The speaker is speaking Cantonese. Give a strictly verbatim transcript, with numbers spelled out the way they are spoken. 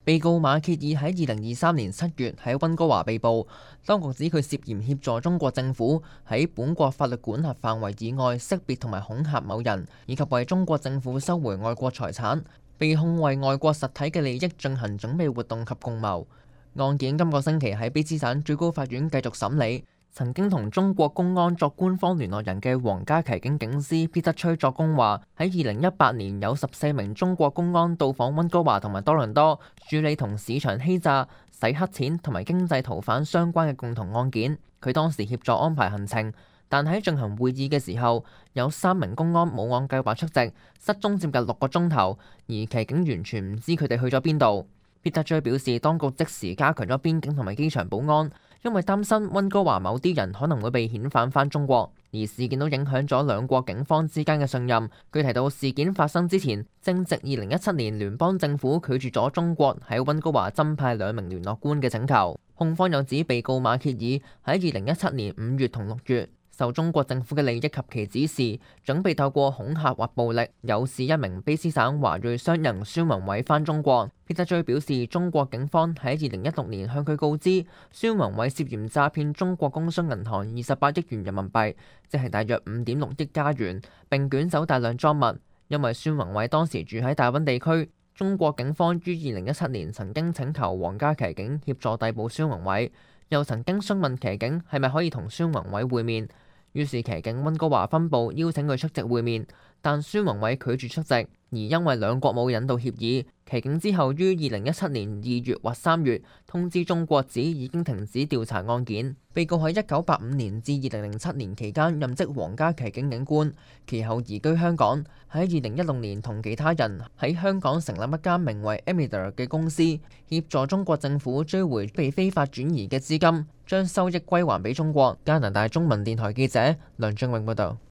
被告馬歇爾喺二零二三年七月喺溫哥華被捕，當局指佢涉嫌協助中國政府喺本國法律管轄範圍以外識別同埋恐嚇某人，以及為中國政府收回外國財產，被控為外國實體嘅利益進行準備活動及共謀。案件今個星期喺卑詩省最高法院繼續審理。曾經同中國公安作官方聯絡人嘅皇家騎警警司彼得崔作供話，喺二零一八年有十四名中國公安到訪溫哥華同埋多倫多，處理同市場欺詐、洗黑錢同埋經濟逃犯相關嘅共同案件。佢當時協助安排行程，但喺進行會議嘅時候，有三名公安冇按計劃出席，失蹤接近六個鐘頭，而騎警完全唔知佢哋去咗邊度。彼得崔表示，當局即時加強咗邊境同埋機場保安，因為擔心溫哥華某啲人可能會被遣返返中國，而事件都影響咗兩國警方之間嘅信任。佢提到事件發生之前，正值二零一七年聯邦政府拒絕咗中國喺溫哥華增派兩名聯絡官嘅請求。控方又指被告馬歇爾喺二零一七年五月同六月，受中國政府嘅利益及其指示，準備透過恐嚇或暴力誘使一名卑詩省華裔商人孫宏偉返中國。彼得崔表示，中國警方喺二零一六年向佢告知，孫宏偉涉嫌詐騙中國工商銀行二十八億元人民幣，即係大約五點六億加元，並捲走大量贓物。因為孫宏偉當時住喺大溫地區，中國警方於二零一七年曾經請求皇家騎警協助逮捕孫宏偉，又曾經詢問騎警係咪可以同孫宏偉會面。於是騎警溫哥華分部邀請佢出席會面，但孫宏偉拒絕出席，而因為兩國冇引渡協議，騎警之後於二零一七年二月或三月通知中國指已經停止調查案件。被告喺一九八五年至二零零七年期間任職皇家騎警警官，其後移居香港。喺二零一六年同其他人喺香港成立一間名為 Emida 嘅公司，協助中國政府追回被非法轉移嘅資金，將收益歸還俾中國。加拿大中文電台記者梁俊永報道。